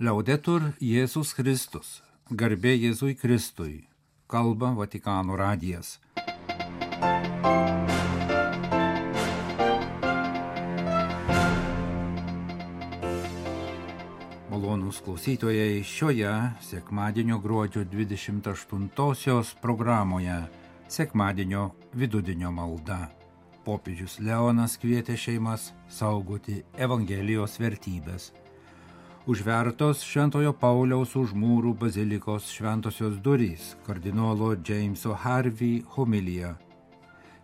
Laudetur Jėzus Kristus, garbė Jėzui Kristui, kalba Vatikano radijas. Malonūs klausytojai, šioje sekmadienio gruodžio 28-osios programoje sekmadienio vidudienio malda. Popiežius Leonas kvietė šeimas saugoti Evangelijos vertybės. Užvertos Šventojo Pauliaus už mūrų bazilikos šventosios durys, kardinolo Jameso Harvey homilija.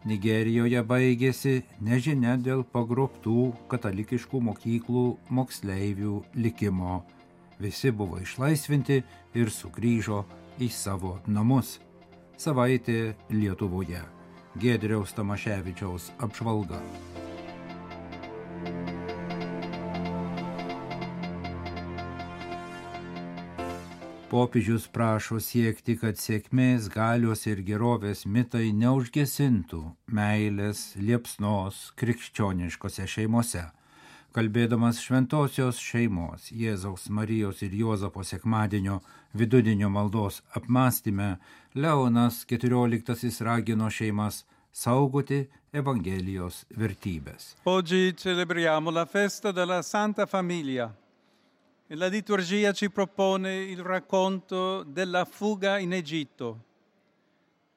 Nigerijoje baigėsi nežinia dėl pagrobtų katalikiškų mokyklų moksleivių likimo. Visi buvo išlaisvinti ir sugrįžo į savo namus. Savaitė Lietuvoje. Giedriaus Tamaševičiaus apžvalga. Popiežius prašo siekti, kad sėkmės, galios ir gerovės mitai neužgesintų meilės, liepsnos krikščioniškose šeimose. Kalbėdamas šventosios šeimos, Jėzaus, Marijos ir Juozapo sekmadienio vidudienio maldos apmąstyme, Leonas XIV ragino šeimas saugoti Evangelijos vertybės. Oggi celebriamo la festa della Santa Famiglia. La liturgia ci propone il racconto della fuga in Egitto.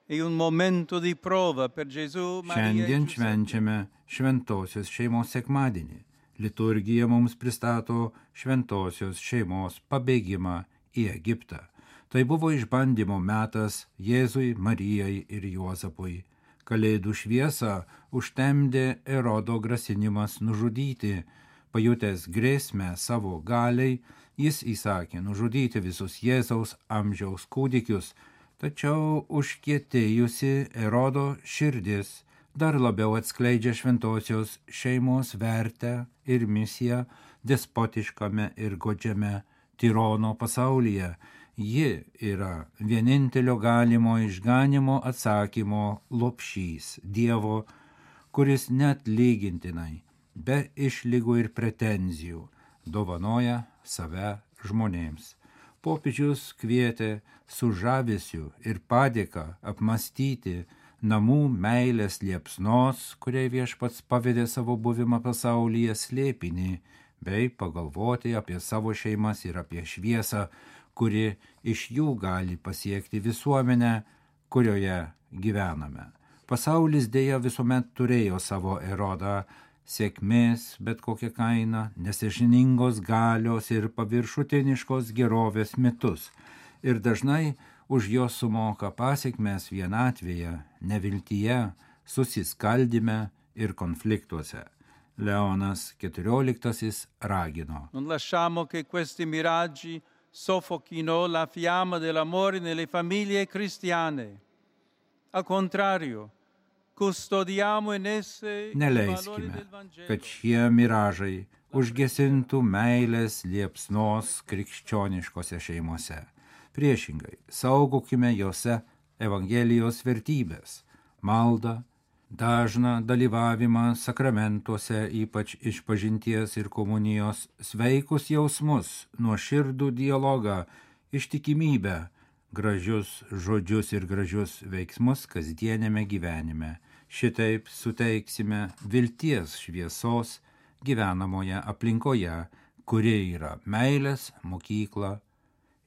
È un momento di prova per Gesù, Marija. Šiandien švenčiame šventosios šeimos sekmadienį. Liturgija mums pristato šventosios šeimos pabėgimą į Egiptą. Tai buvo išbandymo metas Jėzui, Marijai ir Juozapui. Kalėdų šviesą užtemdė Erodo grasinimas nužudyti. Pajutęs grėsmę savo galiai, jis įsakė nužudyti visus Jėzaus amžiaus kūdikius, tačiau užkietėjusi Erodo širdis dar labiau atskleidžia šventosios šeimos vertę ir misiją despotiškame ir godžiame tirono pasaulyje. Ji yra vienintelio galimo išganimo atsakymo lopšys Dievo, kuris net lygintinai be išlygų ir pretenzijų dovanoja save žmonėms. Popiežius kvietė su žavesiu ir padėka apmąstyti namų meilės liepsnos, kuriai Viešpats pavedė savo buvimą pasaulyje slėpinį, bei pagalvoti apie savo šeimas ir apie šviesą, kuri iš jų gali pasiekti visuomenę, kurioje gyvename. Pasaulis dėja visuomet turėjo savo Erodą, sėkmės bet kokia kaina, nesąžiningos galios ir paviršutiniškos gerovės mitus. Ir dažnai už jos sumoka pasekmes vienatvėje, neviltyje, susiskaldyme ir konfliktuose. Leonas XIV ragino. Non lasciamo che questi miraggi soffochino la fiamma dell'amore nelle famiglie cristiane. Al contrario, neleiskime, kad šie miražai užgesintų meilės liepsnos krikščioniškose šeimose. Priešingai, saugokime jose Evangelijos vertybės, maldą, dažną dalyvavimą sakramentuose, ypač išpažinties ir komunijos, sveikus jausmus, nuoširdų dialogą, ištikimybę, gražius žodžius ir gražius veiksmus kasdienėme gyvenime. Šitaip suteiksime vilties šviesos gyvenamoje aplinkoje, kuri yra meilės mokykla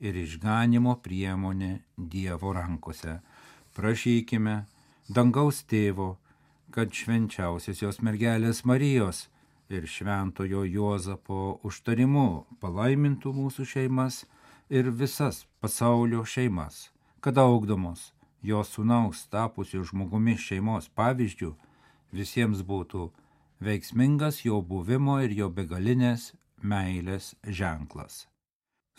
ir išganimo priemonė Dievo rankose. Prašykime dangaus tėvo, kad švenčiausiosios mergelės Marijos ir šventojo Juozapo užtarimu palaimintų mūsų šeimas ir visas pasaulio šeimas, kad augdamos jos sūnaus tapusių žmogumi šeimos pavyzdžių, visiems būtų veiksmingas jo buvimo ir jo begalinės meilės ženklas.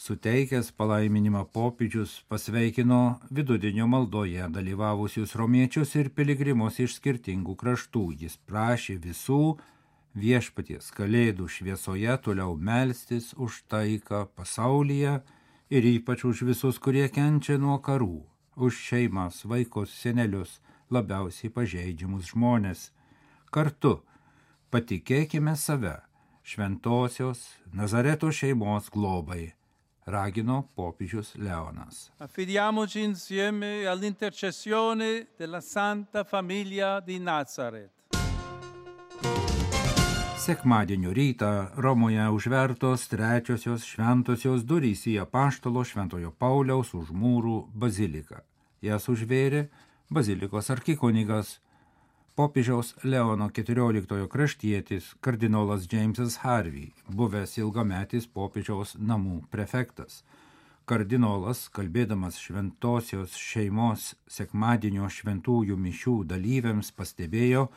Suteikęs palaiminimą popiežius pasveikino vidudienio maldoje dalyvavusius romiečius ir piligrimus iš skirtingų kraštų. Jis prašė visų Viešpaties kalėdų šviesoje toliau melstis už taiką pasaulyje ir ypač už visus, kurie kenčia nuo karų, už šeimas, vaikus, senelius, labiausiai pažeidžiamus žmonės. Kartu patikėkime save šventosios Nazareto šeimos globai, ragino popiežius Leonas. Affidiamoci insieme all'intercessione della Santa Famiglia di Nazaret. Sekmadienio rytą Romoje užvertos trečiosios šventosios durys į Apaštalo Šventojo Pauliaus už mūrų baziliką. Jas užvėrė bazilikos arkikunigas, popiežiaus Leono XIV kraštietis kardinolas Jamesas Harvey, buvęs ilgametis popiežiaus namų prefektas. Kardinolas, kalbėdamas šventosios šeimos sekmadienio šventųjų mišių dalyviams, pastebėjo,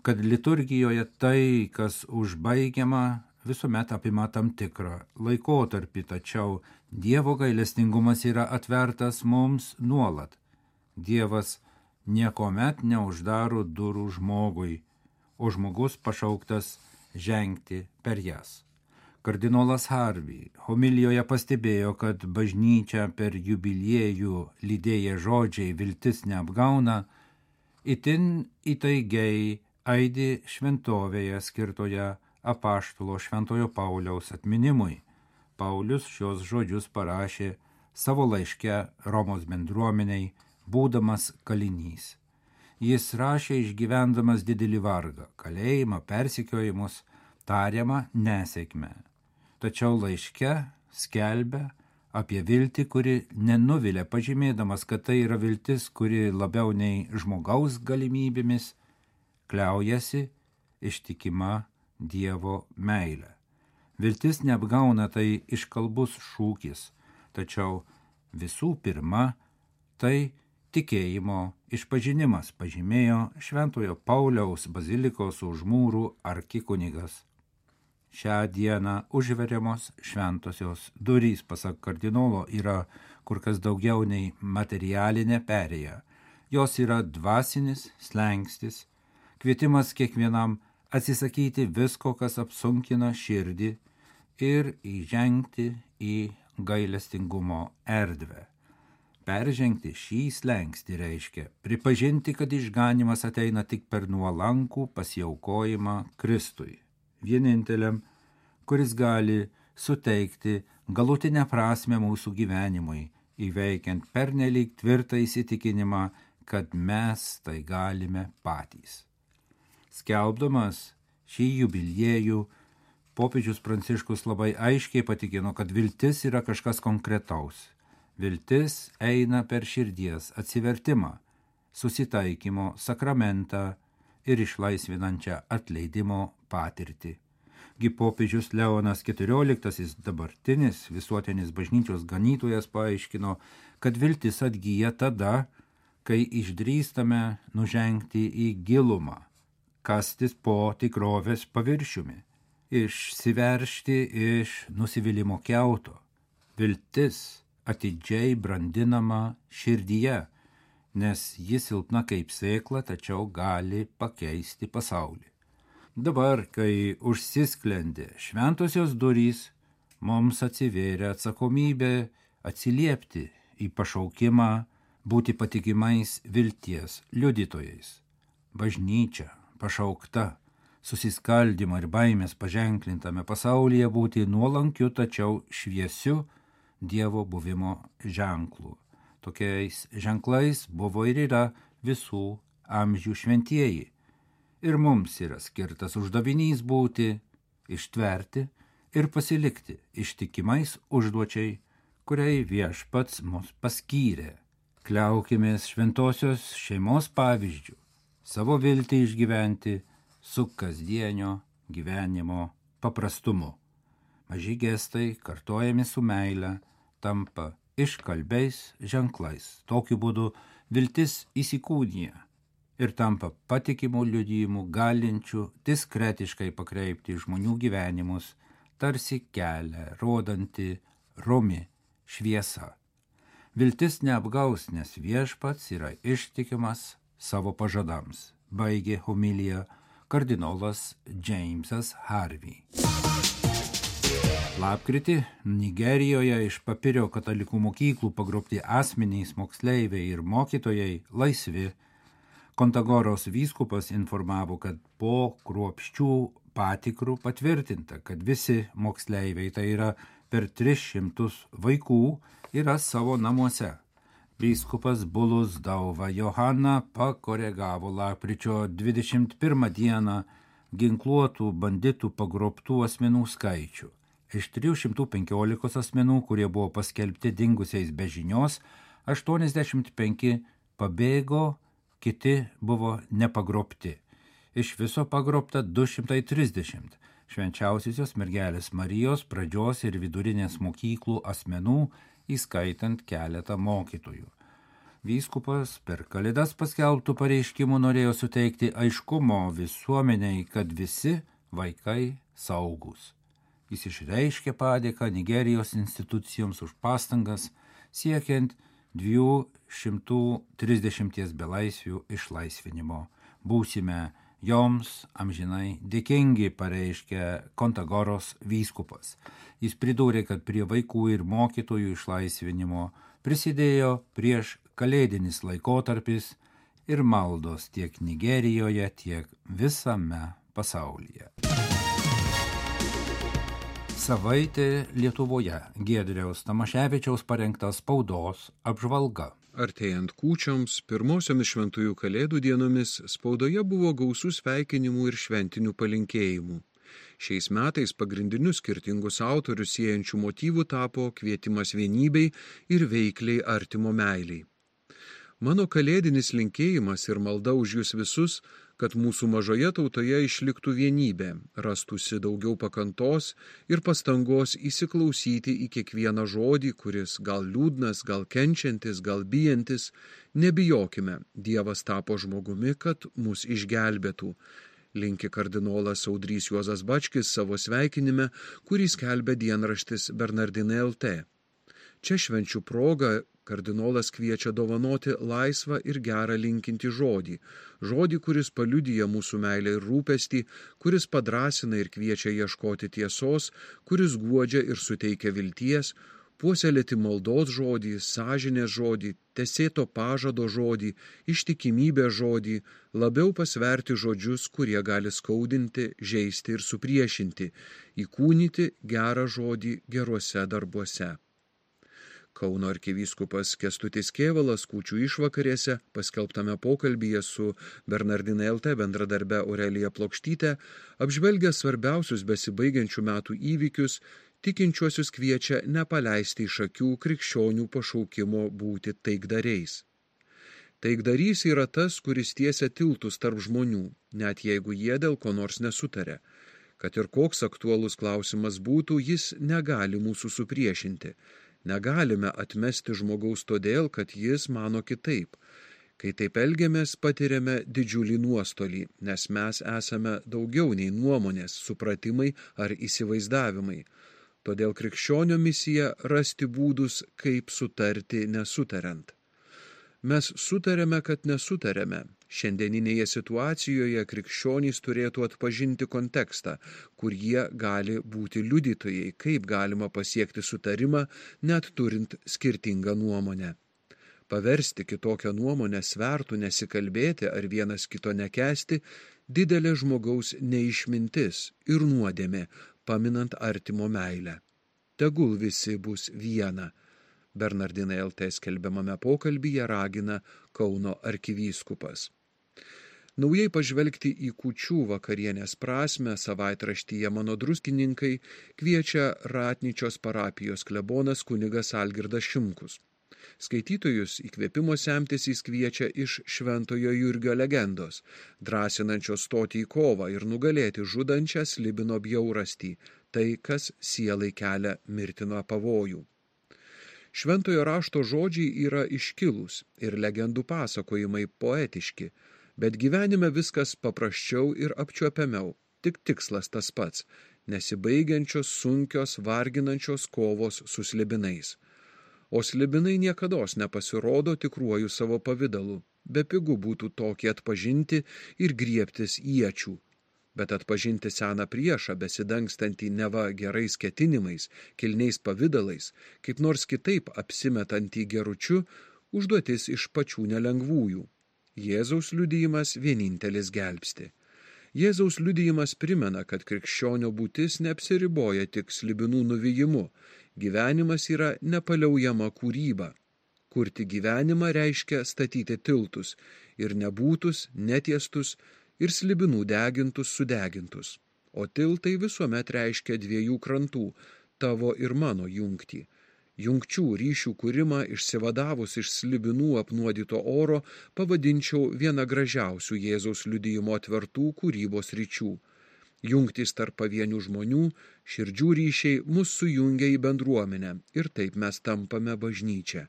kad liturgijoje tai, kas užbaigiama, visuomet apima tam tikrą laikotarpį, tačiau Dievo gailestingumas yra atvertas mums nuolat. Dievas niekuomet neuždaro durų žmogui, o žmogus pašauktas žengti per jas. Kardinolas Harvey homilijoje pastebėjo, kad bažnyčia per jubiliejų lydėję žodžiai viltis neapgauna, itin įtaigiai aidi šventovėje skirtoje Apaštalo Šventojo Pauliaus atminimui. Paulius šios žodžius parašė savo laiške Romos bendruomeniai, būdamas kalinys. Jis rašė išgyvendamas didelį vargą, kalėjimą, persekiojimus, tariamą nesėkmę. Tačiau laiške skelbia apie viltį, kuri nenuvilia, pažymėdamas, kad tai yra viltis, kuri labiau nei žmogaus galimybėmis kliaujasi ištikima Dievo meilė. Viltis neapgauna, tai iškalbus šūkis, tačiau visų pirma tai tikėjimo išpažinimas, pažymėjo Šventojo Pauliaus bazilikos už mūrų arkikunigas. Šią dieną užveriamos šventosios durys, pasak kardinolo, yra kur kas daugiau nei materialinė perėja. Jos yra dvasinis slengstis, kvietimas kiekvienam atsisakyti visko, kas apsunkina širdį ir įžengti į gailestingumo erdvę. Peržengti šį slengstį reiškia pripažinti, kad išganymas ateina tik per nuolankų pasiaukojimą Kristui, vieninteliam, kuris gali suteikti galutinę prasmę mūsų gyvenimui, įveikiant pernelyg tvirtą įsitikinimą, kad mes tai galime patys. Skelbdamas šį jubiliejų, popiežius Pranciškus labai aiškiai patikino, kad viltis yra kažkas konkretaus. Viltis eina per širdies atsivertimą, susitaikymo sakramentą ir išlaisvinančią atleidimo patirtį. Gi popiežius Leonas XIV, dabartinis visuotinis bažnyčios ganytojas, paaiškino, kad viltis atgyja tada, kai išdrįstame nužengti į gilumą, kastis po tikrovės paviršiumi, išsiveržti iš nusivylimų kiauto. Viltis atidžiai brandinama širdyje, nes ji silpna kaip sėkla, tačiau gali pakeisti pasaulį. Dabar, kai užsisklendė šventosios durys, mums atsivėrė atsakomybė atsiliepti į pašaukimą būti patikimais vilties liudytojais. Bažnyčia pašaukta susiskaldymą ir baimės paženklintame pasaulyje būti nuolankiu, tačiau šviesiu Dievo buvimo ženklų. Tokiais ženklais buvo ir yra visų amžių šventieji. Ir mums yra skirtas uždavinys būti, ištverti ir pasilikti ištikimais užduočiai, kuriai Viešpats mus paskyrė. Kliaukimės šventosios šeimos pavyzdžių, savo viltį išgyventi su kasdienio gyvenimo paprastumu. Maži gestai, kartojami su meile, tampa iškalbiais ženklais. Tokiu būdu viltis įsikūnija ir tampa patikimų liudijimų galinčių diskretiškai pakreipti žmonių gyvenimus, tarsi kelią rodanti romi šviesa. Viltis neapgaus, nes Viešpats yra ištikimas savo pažadams, baigė homiliją kardinolas Jamesas Harvey. Lapkritį Nigerijoje iš Papirio katalikų mokyklų pagrobti asmenys, moksleiviai ir mokytojai laisvi. Kontagoros vyskupas informavo, kad po kruopščių patikrų patvirtinta, kad visi moksleiviai, tai yra per 300 vaikų, yra savo namuose. Vyskupas Bulus Dauva Johana pakoregavo lapkričio 21 dieną ginkluotų banditų pagrobtų asmenų skaičių. Iš 315 asmenų, kurie buvo paskelbti dingusiais be žinios, 85 pabėgo, kiti buvo nepagrobti. Iš viso pagrobta 230 švenčiausiosios mergelės Marijos pradžios ir vidurinės mokyklų asmenų, įskaitant keletą mokytojų. Vyskupas per Kalėdas paskelbtų pareiškimų norėjo suteikti aiškumo visuomeniai, kad visi vaikai saugūs. Jis išreiškė padėką Nigerijos institucijoms už pastangas siekiant 230 belaisvių išlaisvinimo. Būsime joms amžinai dėkingi, pareiškė Kontagoros vyskupas. Jis pridūrė, kad prie vaikų ir mokytojų išlaisvinimo prisidėjo prieš kalėdinis laikotarpis ir maldos tiek Nigerijoje, tiek visame pasaulyje. Savaitė Lietuvoje. Giedriaus Tamaševičiaus parengta spaudos apžvalga. Artėjant kūčioms, pirmosiomis šventųjų kalėdų dienomis spaudoje buvo gausų sveikinimų ir šventinių palinkėjimų. Šiais metais pagrindiniu skirtingus autorius siejančių motyvų tapo kvietimas vienybei ir veikliai artimo meiliai. Mano kalėdinis linkėjimas ir malda už jūs visus, kad mūsų mažoje tautoje išliktų vienybė, rastųsi daugiau pakantos ir pastangos įsiklausyti į kiekvieną žodį, kuris gal liūdnas, gal kenčiantis, gal bijantis. Nebijokime, Dievas tapo žmogumi, kad mus išgelbėtų. Linki kardinolas Audrys Juozas Bačkis savo sveikinime, kurį skelbia dienraštis Bernardinai LT. Čia švenčių proga kardinolas kviečia dovanoti laisvą ir gerą linkintį žodį, kuris paliudija mūsų meilę ir rūpestį, kuris padrasina ir kviečia ieškoti tiesos, kuris guodžia ir suteikia vilties, puoselėti maldos žodį, sąžinės žodį, tesėto pažado žodį, ištikimybės žodį, labiau pasverti žodžius, kurie gali skaudinti, žeisti ir supriešinti, įkūnyti gerą žodį geruose darbuose. Kauno arkivyskupas Kęstutis Kėvalas kūčių išvakarėse, paskelbtame pokalbyje su Bernardinai LT bendradarbe Aurelija Plokštyte, apžvelgia svarbiausius besibaigiančių metų įvykius, tikinčiuosius kviečia nepaleisti iš akių krikščionių pašaukimo būti taikdariais. Taikdarys yra tas, kuris tiesia tiltus tarp žmonių, net jeigu jie dėl ko nors nesutaria. Kad ir koks aktualus klausimas būtų, jis negali mūsų supriešinti. Negalime atmesti žmogaus todėl, kad jis mano kitaip. Kai taip elgiamės, patiriame didžiulį nuostolį, nes mes esame daugiau nei nuomonės, supratimai ar įsivaizdavimai. Todėl krikščionio misija rasti būdus, kaip sutarti nesutariant. Mes sutarėme, kad nesutarėme. Šiandieninėje situacijoje krikščionys turėtų atpažinti kontekstą, kur jie gali būti liudytojai, kaip galima pasiekti sutarimą, net turint skirtingą nuomonę. Paversti kitokią nuomonę svertų nesikalbėti ar vienas kito nekęsti didelė žmogaus neišmintis ir nuodėmė, paminant artimo meilę. Tegul visi bus viena. Bernardinai LT skelbiamame pokalbyje ragina Kauno arkivyskupas. Naujai pažvelgti į kūčių vakarienės prasmę savaitraštyje Mano druskininkai kviečia Ratnyčios parapijos klebonas kunigas Algirdas Šimkus. Skaitytojus įkvėpimo semtis jis kviečia iš Šventojo Jurgio legendos, drąsinančios stoti į kovą ir nugalėti žudančią slibino bjaurastį, tai, kas sielai kelia mirtiną pavojų. Šventojo rašto žodžiai yra iškilūs ir legendų pasakojimai poetiški, bet gyvenime viskas paprasčiau ir apčiuopiamiau, tik tikslas tas pats – nesibaigiančios, sunkios, varginančios kovos su slibinais. O slibinai niekados nepasirodo tikruoju savo pavidalu, bepigu būtų tokį atpažinti ir griebtis iečių. Bet atpažinti seną priešą, besidangstantį neva gerais ketinimais, kilniais pavidalais, kaip nors kitaip apsimetantį geručiu, užduotis iš pačių nelengvųjų. Jėzaus liudijimas vienintelis gelbsti. Jėzaus liudijimas primena, kad krikščionio būtis neapsiriboja tik slibinų nuvijimu. Gyvenimas yra nepaliaujama kūryba. Kurti gyvenimą reiškia statyti tiltus ir nebūtus, netiestus ir slibinų degintus sudegintus. O tiltai visuomet reiškia dviejų krantų, tavo ir mano jungtį. Jungčių ryšių kūrimą išsivadavus iš slibinų apnuodyto oro pavadinčiau viena gražiausių Jėzaus liudijimo atvertų kūrybos ryčių. Jungtys tarp pavienių žmonių, širdžių ryšiai mus sujungia į bendruomenę ir taip mes tampame bažnyčia.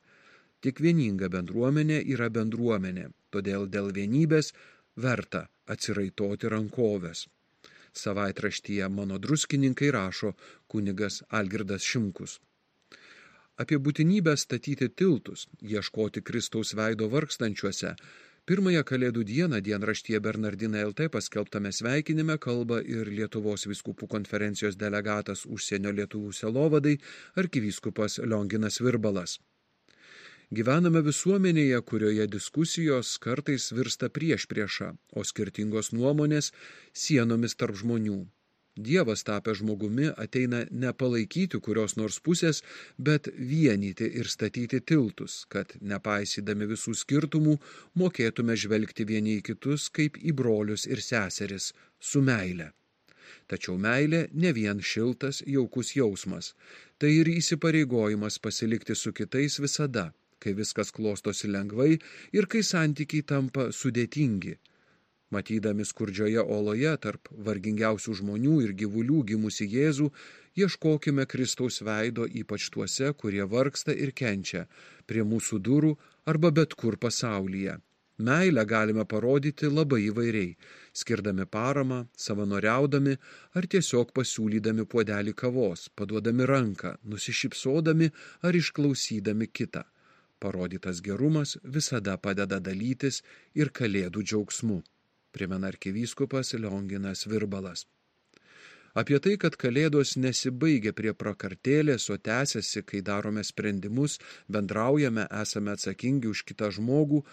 Tik vieninga bendruomenė yra bendruomenė, todėl dėl vienybės verta atsiraitoti rankoves. Savaitraštyje Mano druskininkai rašo kunigas Algirdas Šimkus. Apie būtinybę statyti tiltus, ieškoti Kristaus veido vargstančiuose, pirmąją Kalėdų dieną dienraštyje Bernardinai LT paskelbtame sveikinime kalba ir Lietuvos vyskupų konferencijos delegatas užsienio lietuvių sielovadai arkivyskupas Lionginas Virbalas. Gyvename visuomenėje, kurioje diskusijos kartais virsta priešprieša, o skirtingos nuomonės sienomis tarp žmonių. Dievas tapęs žmogumi ateina ne palaikyti kurios nors pusės, bet vienyti ir statyti tiltus, kad, nepaisydami visų skirtumų, mokėtume žvelgti vieni į kitus kaip į brolius ir seseris, su meile. Tačiau meilė ne vien šiltas, jaukus jausmas, tai ir įsipareigojimas pasilikti su kitais visada, kai viskas klostosi lengvai ir kai santykiai tampa sudėtingi. Matydami skurdžioje oloje tarp vargingiausių žmonių ir gyvulių gimusi Jėzų, ieškokime Kristaus veido ypač tuose, kurie vargsta ir kenčia, prie mūsų durų arba bet kur pasaulyje. Meilę galime parodyti labai įvairiai, skirdami paramą, savanoriaudami ar tiesiog pasiūlydami puodelį kavos, paduodami ranką, nusišypsodami ar išklausydami kitą. Parodytas gerumas visada padeda dalytis ir Kalėdų džiaugsmu, primena arkivyskupas Lionginas Virbalas. Apie tai, kad Kalėdos nesibaigia prie prakartėlės, o tęsiasi, kai darome sprendimus, bendraujame, esame atsakingi už kitą žmogų,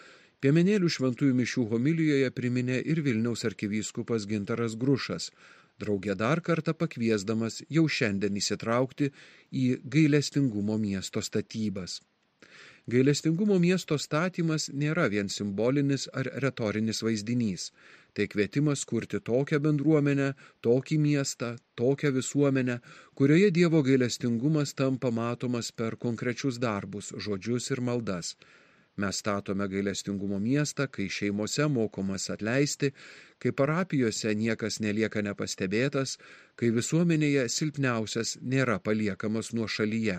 Piemenėlių šventųjų mišių homilijoje priminė ir Vilniaus arkivyskupas Gintaras Grušas, drauge dar kartą pakviesdamas jau šiandien įsitraukti į gailestingumo miesto statybas. Gailestingumo miesto statymas nėra vien simbolinis ar retorinis vaizdinys. Tai kvietimas kurti tokią bendruomenę, tokį miestą, tokią visuomenę, kurioje Dievo gailestingumas tampa matomas per konkrečius darbus, žodžius ir maldas. Mes statome gailestingumo miestą, kai šeimose mokomas atleisti, kai parapijose niekas nelieka nepastebėtas, kai visuomenėje silpniausias nėra paliekamas nuošalyje.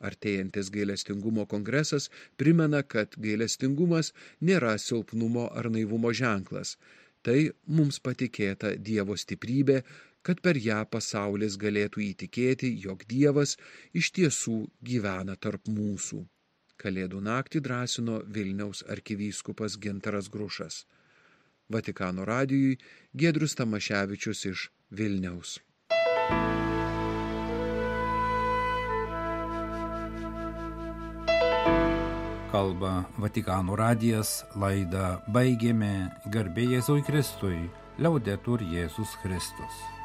Artėjantis gailestingumo kongresas primena, kad gailestingumas nėra silpnumo ar naivumo ženklas. Tai mums patikėta Dievo stiprybė, kad per ją pasaulis galėtų įtikėti, jog Dievas iš tiesų gyvena tarp mūsų. Kalėdų naktį drąsino Vilniaus arkivyskupas Gintaras Grušas. Vatikano radijui Giedrius Tamaševičius iš Vilniaus. Kalba Vatikano radijas, laidą baigėme. Garbė Jėzui Kristui, Liaudetur Jėzus Kristus.